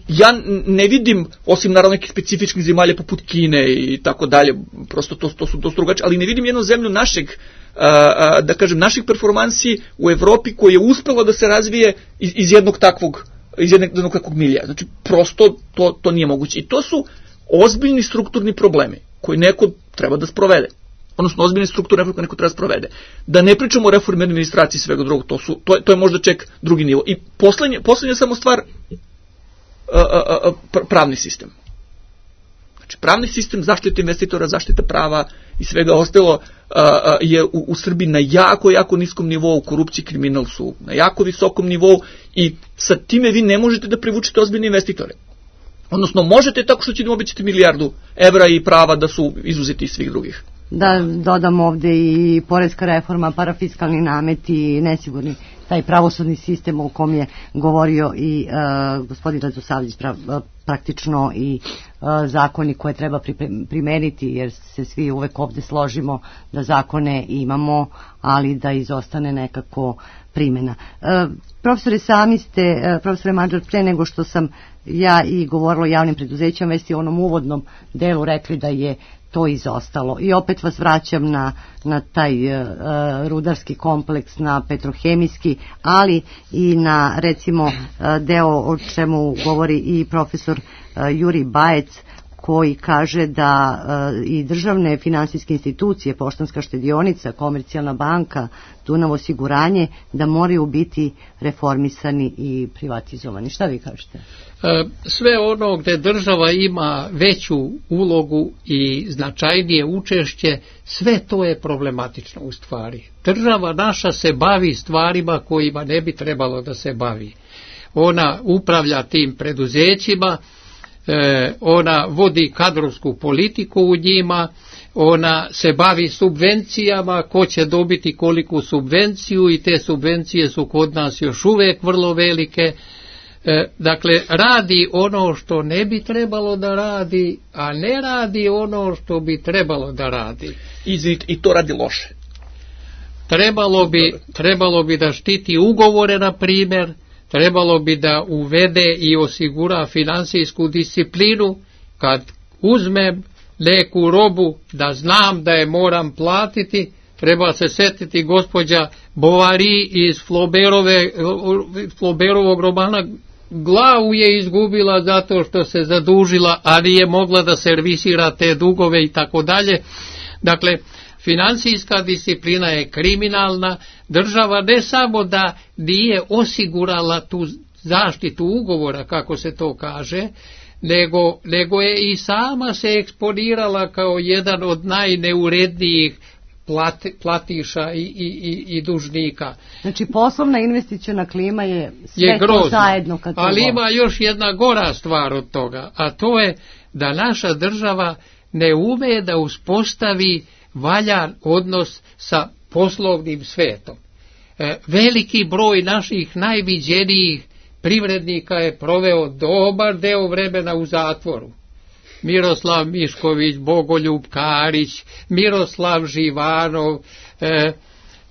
Ja ne vidim, osim naravno nekih specifičnih zemalja poput Kine i tako dalje, prosto to, to su dosta drugačije, ali ne vidim jednu zemlju našeg, a, a, da kažem, naših performansi u Evropi koja je uspela da se razvije iz, iz jednog takvog, iz jednog, jednog takvog milija. Znači, prosto to, to nije moguće. I to su ozbiljni strukturni problemi koji neko treba da sprovede. Odnosno, ozbiljne strukturne reforme neko treba da sprovede. Da ne pričamo o reformi administraciji i svega drugog, to, su, to, je, to je možda ček drugi nivo. I poslednje, poslednje samo stvar, pravni sistem. Znači, pravni sistem, zaštita investitora, zaštita prava i svega ostalo je u, u Srbiji na jako, jako niskom nivou. Korupcija i kriminal su na jako visokom nivou i sa time vi ne možete da privučete ozbiljne investitore. Odnosno, možete tako što će da obećati milijardu evra i prava da su izuzeti iz svih drugih. Da dodam ovde i poreska reforma, parafiskalni nameti, nesigurni taj pravosudni sistem o kom je govorio i uh, gospodin Radosavljević, pra, praktično i uh, zakoni koje treba primeniti, jer se svi uvek ovde složimo da zakone imamo, ali da izostane nekako primjena. Uh, profesore, sami ste, uh, profesore Mađar, pre nego što sam ja i govorila o javnim preduzećima, već i u onom uvodnom delu rekli da je to izostalo. I opet vas vraćam na, na taj uh, rudarski kompleks, na petrohemijski, ali i na, recimo, uh, deo o čemu govori i profesor uh, Juri Bajec, koji kaže da uh, i državne finansijske institucije, Poštanska štedionica, Komercijalna banka, Dunav osiguranje, da moraju biti reformisani i privatizovani. Šta vi kažete? Sve ono gde država ima veću ulogu i značajnije učešće, sve to je problematično u stvari. Država naša se bavi stvarima kojima ne bi trebalo da se bavi. Ona upravlja tim preduzećima, ona vodi kadrovsku politiku u njima, ona se bavi subvencijama, ko će dobiti koliku subvenciju, i te subvencije su kod nas još uvek vrlo velike. Dakle, radi ono što ne bi trebalo da radi, a ne radi ono što bi trebalo da radi. I, i to radi loše. Trebalo bi, trebalo bi da štiti ugovore, na primjer, trebalo bi da uvede i osigura finansijsku disciplinu. Kad uzmem neku robu, da znam da je moram platiti. Treba se setiti gospođa Bovary iz Flauberove, Flauberovog romana. Glavu je izgubila zato što se zadužila, a nije mogla da servisira te dugove i tako dalje. Dakle, finansijska disciplina je kriminalna. Država ne samo da nije osigurala tu zaštitu ugovora, kako se to kaže, nego, nego je i sama se eksponirala kao jedan od najneurednijih plati, platiša i, i, i dužnika. Znači, poslovna investiciona klima je sve je to zajedno. Kad ali ima još jedna gora stvar od toga, a to je da naša država ne ume da uspostavi valjan odnos sa poslovnim svetom. E, veliki broj naših najviđenijih privrednika je proveo dobar deo vremena u zatvoru. Miroslav Mišković, Bogoljub Karić, Miroslav Živanov, e,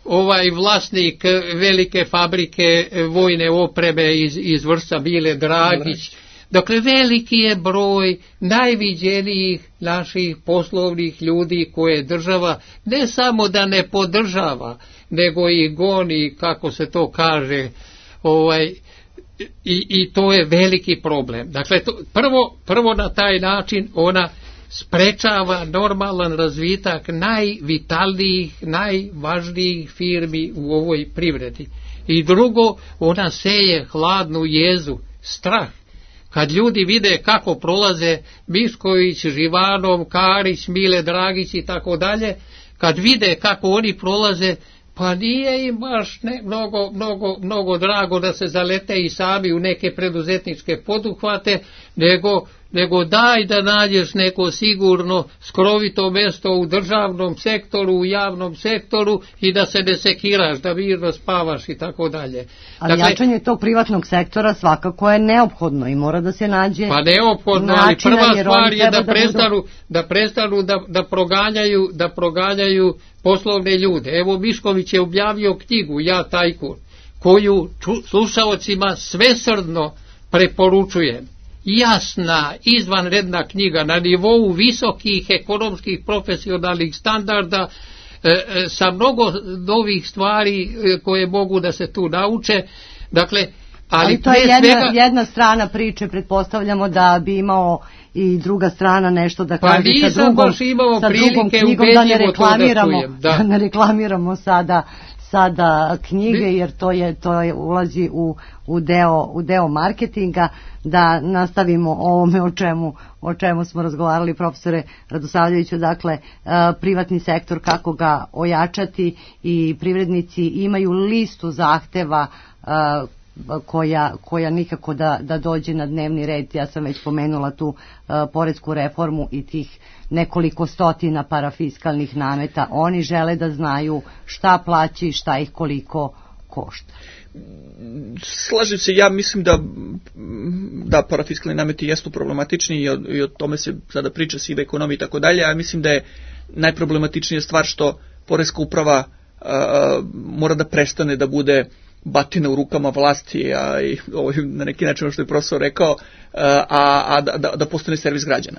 ovaj vlasnik velike fabrike vojne opreme iz, iz Vršca Mile Dragić. Dakle, veliki je broj najviđenijih naših poslovnih ljudi koje država ne samo da ne podržava, nego i goni, kako se to kaže, ovaj, i, i to je veliki problem. Dakle, to, prvo, prvo na taj način ona sprečava normalan razvitak najvitalnijih, najvažnijih firmi u ovoj privredi. I drugo, ona seje hladnu jezu, strah. Kad ljudi vide kako prolaze Mišković, Živanov, Karić, Mile Dragić i tako dalje, kad vide kako oni prolaze, pa nije im baš ne, mnogo, mnogo, mnogo drago da se zalete i sami u neke preduzetničke poduhvate, nego, nego daj da nađeš neko sigurno skrovito mjesto u državnom sektoru, u javnom sektoru i da se ne sekiraš, da mirno spavaš i tako dalje. Ali dakle, jačanje tog privatnog sektora svakako je neophodno i mora da se nađe. Pa neophodno, ali prva stvar je da, da prestanu, budu... da prestanu da, da proganjaju, da proganjaju poslovne ljude. Evo, Mišković je objavio knjigu Ja tajkun, koju slušaocima svesrdno preporučujem. Jasna, izvanredna knjiga na nivou visokih ekonomskih profesionalnih standarda, e, e, sa mnogo novih stvari e, koje mogu da se tu nauče. Dakle, ali, ali to je jedna, svega... jedna strana priče, pretpostavljamo da bi imao i druga strana nešto da kaže pa sa drugom, sa drugom knjigom, da ne reklamiramo, da. da ne reklamiramo sada sada knjige, jer to je to je ulazi u u deo u deo marketinga. Da nastavimo o ovome o čemu o čemu smo razgovarali, profesore Radosavljeviću, dakle privatni sektor, kako ga ojačati, i privrednici imaju listu zahteva koja, koja nikako da, da dođe na dnevni red. Ja sam već pomenula tu uh, poresku reformu i tih nekoliko stotina parafiskalnih nameta. Oni žele da znaju šta plaći i šta ih koliko košta. Slažem se, ja mislim da da parafiskalni nameti jesu problematični i o, i o tome se sada priča, sive ekonomije i tako dalje, a mislim da je najproblematičnija stvar što poreska uprava uh, mora da prestane da bude batina u rukama vlasti, a i ovo na neki način što je profesor rekao, a, a da, da, da postane servis građana.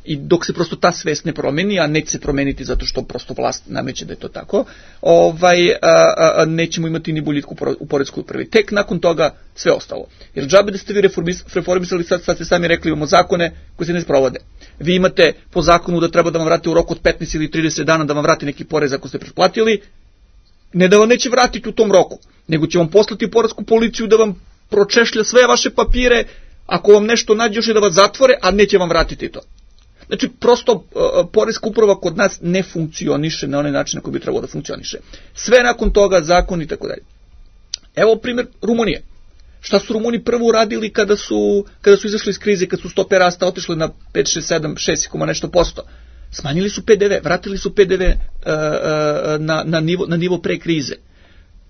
I dok se prosto ta svest ne promeni, a neće se promeniti zato što prosto vlast nameće da je to tako, ovaj, a, a, nećemo imati ni boljitku u poreskoj upravi. Tek nakon toga sve ostalo. Jer džabe da ste vi reformis, reformisali, sad, sad ste sami rekli, imamo zakone koji se ne sprovode. Vi imate po zakonu da treba da vam vrate u roku od petnaest ili trideset dana da vam vrati neki porez ako ste pretplatili. Ne da vam neće vratiti u tom roku, nego će vam poslati poresku policiju da vam pročešlja sve vaše papire, ako vam nešto nađe još i da vas zatvore, a neće vam vratiti to. Znači, prosto uh, poreska uprava kod nas ne funkcioniše na onaj način na koji bi trebalo da funkcioniše. Sve nakon toga, zakon i tako dalje. Evo primjer Rumunije. Šta su Rumuni prvo uradili kada su, kada su izašli iz krize, kad su stope rasta otišle na pet, šest, sedam, šest nešto posto? Smanjili su P D V, vratili su P D V uh, uh, na, na, nivo, na nivo pre krize.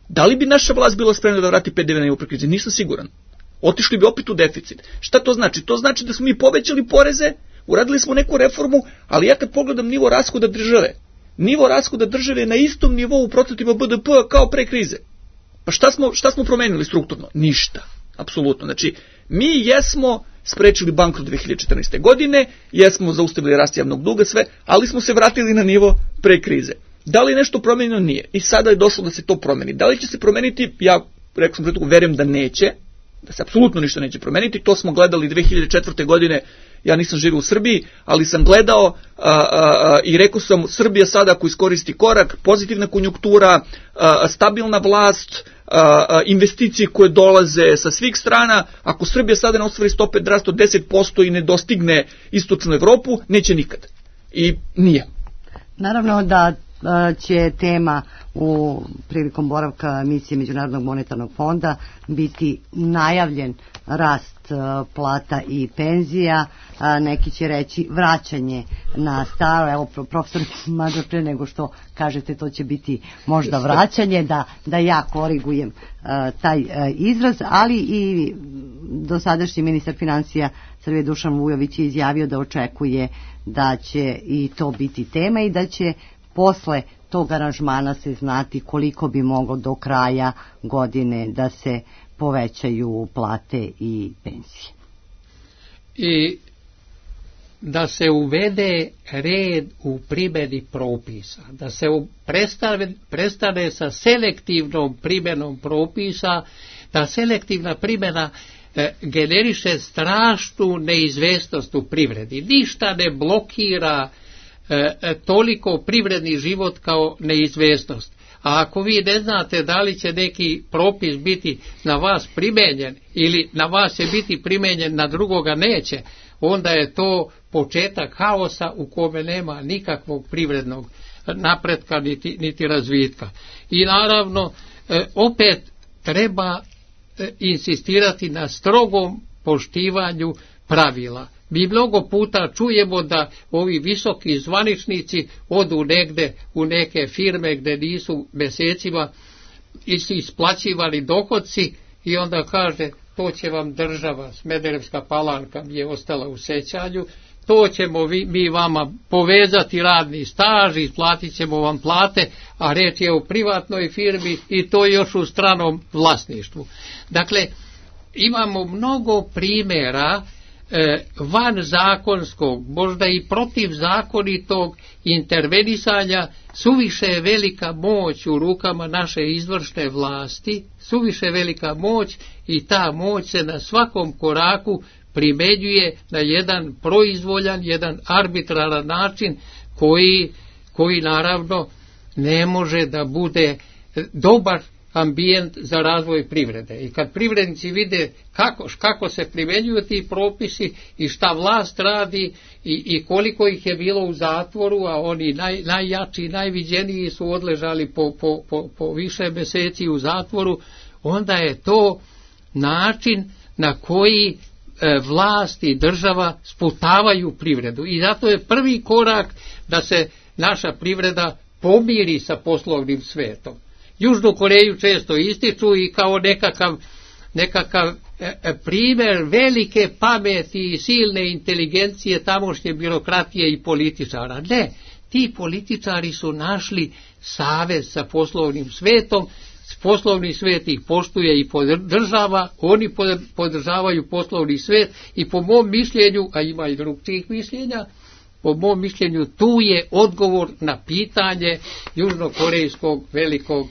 Da li bi naša vlast bila spremna da vrati P D V na nivo pre krize? Nisam siguran. Otišli bi opet u deficit. Šta to znači? To znači da smo mi povećali poreze, uradili smo neku reformu, ali ja kad pogledam nivo rashoda države, nivo rashoda države je na istom nivou u procentima B D P kao pre krize. Pa šta smo, šta smo promenili strukturno? Ništa. Apsolutno. Znači, mi jesmo sprečili bankrot dve hiljade četrnaeste. godine, jesmo zaustavili rast javnog duga, sve, ali smo se vratili na nivo pre krize. Da li nešto promenjeno? Nije. I sada je došlo da se to promeni. Da li će se promeniti? Ja, rekao sam pretuku, verujem da neće, da se apsolutno ništa neće promeniti. To smo gledali dve hiljade četvrte. godine, ja nisam živio u Srbiji, ali sam gledao a, a, a, i rekao sam, Srbija sada ako iskoristi korak, pozitivna konjunktura, a, a, stabilna vlast, a, a, investicije koje dolaze sa svih strana, ako Srbija sada ne ostvari stope rasta od deset posto i ne dostigne istočnu Evropu, neće nikad. I nije. Naravno da će tema u prilikom boravka misije Međunarodnog monetarnog fonda biti najavljen rast plata i penzija, neki će reći vraćanje na staro, evo profesor Mađo, pre nego što kažete to će biti možda vraćanje, da, da ja korigujem taj izraz, ali i dosadašnji ministar financija Srbije Dušan Vujović je izjavio da očekuje da će i to biti tema i da će posle tog aranžmana se znati koliko bi moglo do kraja godine da se povećaju plate i penzije. I da se uvede red u primjeni propisa, da se prestane, prestane sa selektivnom primjenom propisa, da selektivna primjena e, generiše strašnu neizvestnost u privredi. Ništa ne blokira e, toliko privredni život kao neizvestnost. A ako vi ne znate da li će neki propis biti na vas primenjen ili na vas će biti primenjen, na drugoga neće, onda je to početak haosa u kome nema nikakvog privrednog napretka niti, niti razvitka. I naravno, opet treba insistirati na strogom poštivanju pravila. Mi mnogo puta čujemo da ovi visoki zvaničnici odu negde u neke firme gde nisu mesecima isplaćivali dohodci i onda kaže to će vam država, Smederevska Palanka mi je ostala u sećanju, to ćemo vi, mi vama povezati radni staž, isplatit ćemo vam plate, a reč je o privatnoj firmi i to još u stranom vlasništvu. Dakle, imamo mnogo primjera van zakonskog, možda i protivzakonitog intervenisanja. Suviše je velika moć u rukama naše izvršne vlasti, suviše velika moć i ta moć se na svakom koraku primenjuje na jedan proizvoljan, jedan arbitraran način koji, koji naravno ne može da bude dobar ambijent za razvoj privrede. I kad privrednici vide kako, kako se primenjuju ti propisi i šta vlast radi i, i koliko ih je bilo u zatvoru, a oni naj, najjači i najviđeniji su odležali po, po, po, po više meseci u zatvoru, onda je to način na koji e, vlast i država sputavaju privredu. I zato je prvi korak da se naša privreda pomiri sa poslovnim svetom. Južnu Koreju često ističu i kao nekakav, nekakav e, primjer velike pameti i silne inteligencije tamošnje birokratije i političara. Ne, ti političari su našli savez sa poslovnim svetom, poslovni svet ih poštuje i podržava, oni podržavaju poslovni svet i po mom mišljenju, a ima i drugih mišljenja, po mom mišljenju tu je odgovor na pitanje južnokorejskog velikog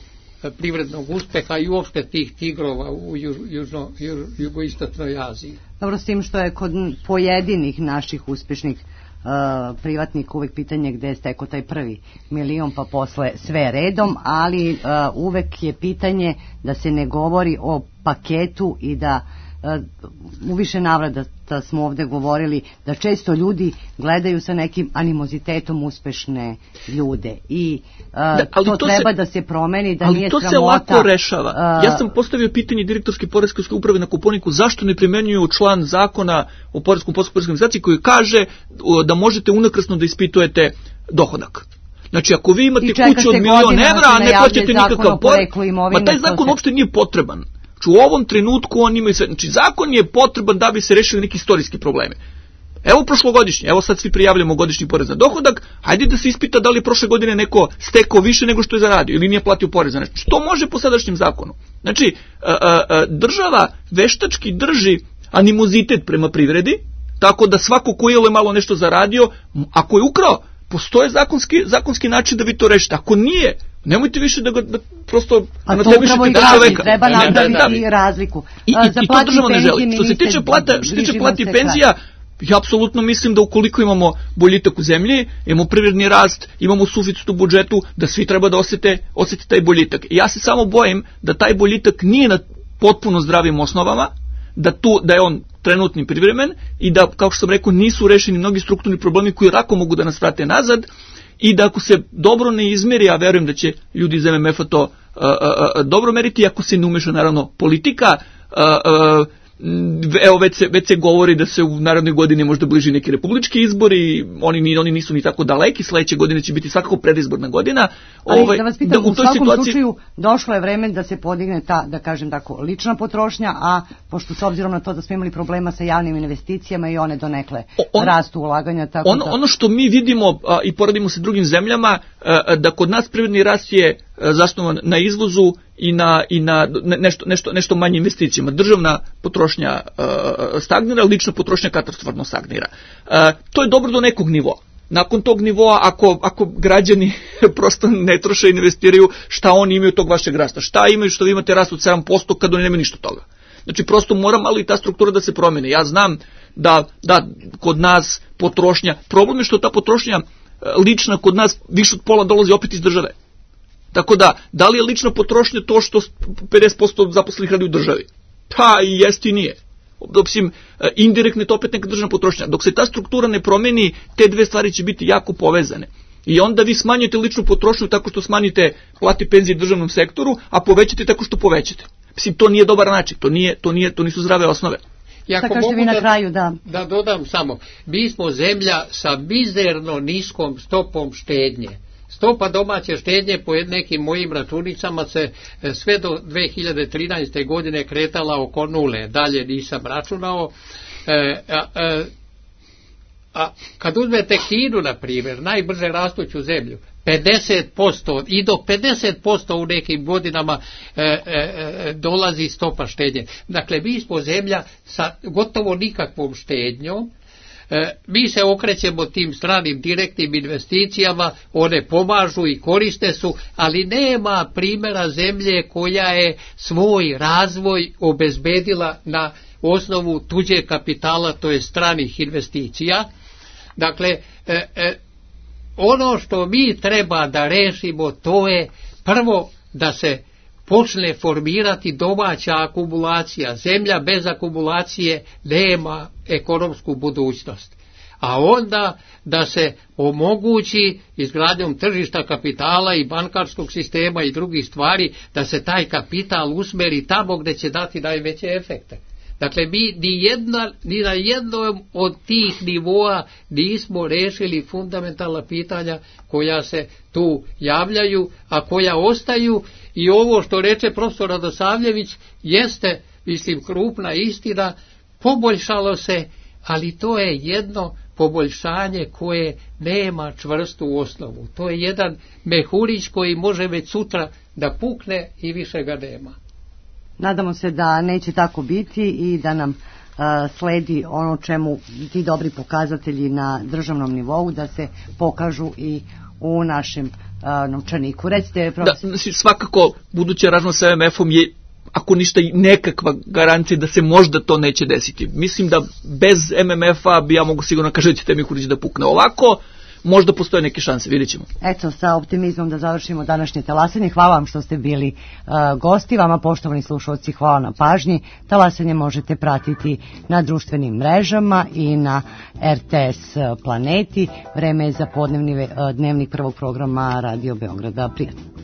privrednog uspeha i uopšte tih tigrova u južno, jugoistočnoj Aziji. Dobro, s tim što je kod pojedinih naših uspešnih uh, privatnika uvek pitanje gde je stekao taj prvi milion pa posle sve redom, ali uh, uvek je pitanje da se ne govori o paketu i da u više navrata smo ovde govorili da često ljudi gledaju sa nekim animozitetom uspešne ljude i uh, da, to, to treba se, da se promeni, da nije sramota. Ali to se lako rešava. Uh, ja sam postavio pitanje direktorske poreske uprave na Kopaoniku zašto ne primenjuju član zakona o poreskom postupku poreskoj organizaciji koji kaže da možete unakrasno da ispitujete dohodak. Znači, ako vi imate kuću od milion evra, a ne plaćate nikakav porez, ma taj zakon uopšte nije potreban. Znači, u ovom trenutku on ima sve, znači zakon je potreban da bi se rešili neki istorijski problemi. Evo prošlogodišnji, evo sad svi prijavljamo godišnji porez na dohodak, hajde da se ispita da li je prošle godine neko stekao više nego što je zaradio ili nije platio porez za nešto. Što može po sadašnjem zakonu? Znači, a, a, a, država veštački drži animozitet prema privredi, tako da svako ko je malo nešto zaradio, ako je ukrao, postoje zakonski, zakonski način da vi to rešite. Ako nije, nemojte više da ga da prosto a to upravo i građani, treba napraviti i razliku. I, i, i to država ne želi. Što se tiče plata, što se tiče plata i penzija, ja apsolutno mislim da ukoliko imamo boljitak u zemlji, imamo privredni rast, imamo suficit u budžetu, da svi treba da osete, osete taj boljitak. I ja se samo bojim da taj boljitak nije na potpuno zdravim osnovama, da tu da je on trenutni privremen i da, kao što sam rekao, nisu rešeni mnogi strukturni problemi koji lako mogu da nas vrate nazad i da ako se dobro ne izmeri, a verujem da će ljudi iz M M F-a to uh, uh, dobro meriti, ako se ne umeša naravno politika, uh, uh, evo već se, već se govori da se u narednoj godini možda bliži neki republički izbori, oni, oni nisu ni tako daleki, sledeće godine će biti svakako predizborna godina. Ali ovaj, da vas pitam, da, u, u svakom situaciji... slučaju došlo je vreme da se podigne ta, da kažem tako, lična potrošnja, a pošto s obzirom na to da smo imali problema sa javnim investicijama i one donekle on, rastu ulaganja. Tako on, da... Ono što mi vidimo a, i poradimo sa drugim zemljama, a, da kod nas privredni rast je a, zasnovan na izvozu i na, i na nešto, nešto, nešto manje investicijama. Državna potrošnja uh, stagnira, lična potrošnja katastrofalno stagnira. Uh, to je dobro do nekog nivoa. Nakon tog nivoa, ako, ako građani prosto ne troše i investiraju, šta oni imaju tog vašeg rasta? Šta imaju što vi imate rast od sedam posto kad oni nemaju ništa toga? Znači, prosto mora malo i ta struktura da se promene. Ja znam da, da kod nas potrošnja, problem je što ta potrošnja lična kod nas više od pola dolazi opet iz države. Tako da, da li je lična potrošnja to što pedeset posto zaposlenih radi u državi? Pa i jest i nije. Osim, indirektno je to opet neka državna potrošnja. Dok se ta struktura ne promeni, te dve stvari će biti jako povezane. I onda vi smanjujete ličnu potrošnju tako što smanjite plati penzije državnom sektoru, a povećate tako što povećate. Mislim, to nije dobar način, to, nije, to, nije, to nisu zdrave osnove. Šta kažete vi na kraju, da? Da dodam samo, mi smo zemlja sa mizerno niskom stopom štednje. Stopa domaće štednje po nekim mojim računicama se sve do dve hiljade trinaeste. godine kretala oko nule, dalje nisam računao. E, a, a, a kad uzmete Kinu, na primjer, najbrže rastuću zemlju, pedeset posto i do pedeset posto u nekim godinama e, e, dolazi stopa štednje. Dakle, mi smo zemlja sa gotovo nikakvom štednjom. E, mi se okrećemo tim stranim direktnim investicijama, one pomažu i koriste su, ali nema primjera zemlje koja je svoj razvoj obezbedila na osnovu tuđe kapitala, to je stranih investicija. Dakle, e, e, ono što mi treba da rešimo, to je prvo da se počne formirati domaća akumulacija. Zemlja bez akumulacije nema ekonomsku budućnost. A onda da se omogući izgradnjom tržišta kapitala i bankarskog sistema i drugih stvari, da se taj kapital usmeri tamo gdje će dati najveće efekte. Dakle, mi ni, jedna, ni na jednom od tih nivoa nismo rešili fundamentalna pitanja koja se tu javljaju, a koja ostaju, i ovo što reče profesor Radosavljević jeste, mislim, krupna istina, poboljšalo se, ali to je jedno poboljšanje koje nema čvrstu osnovu. To je jedan mehurić koji može već sutra da pukne i više ga nema. Nadamo se da neće tako biti i da nam uh, sledi ono čemu ti dobri pokazatelji na državnom nivou da se pokažu i u našem uh, novčaniku. Recite, profesor. Da, svakako buduća razmena sa M M F-om je, ako ništa, nekakva garancija da se možda to neće desiti. Mislim da bez M M F-a bi ja mogu sigurno kažem da će Temihurić da pukne. Ovako možda postoje neke šanse, vidjet ćemo. Eto, sa optimizmom da završimo današnje talasanje. Hvala vam što ste bili uh, gosti, vama poštovani slušalci, hvala na pažnji. Talasanje možete pratiti na društvenim mrežama i na R T S Planeti. Vreme je za podnevni uh, dnevnik prvog programa Radio Beograda. Prijatno.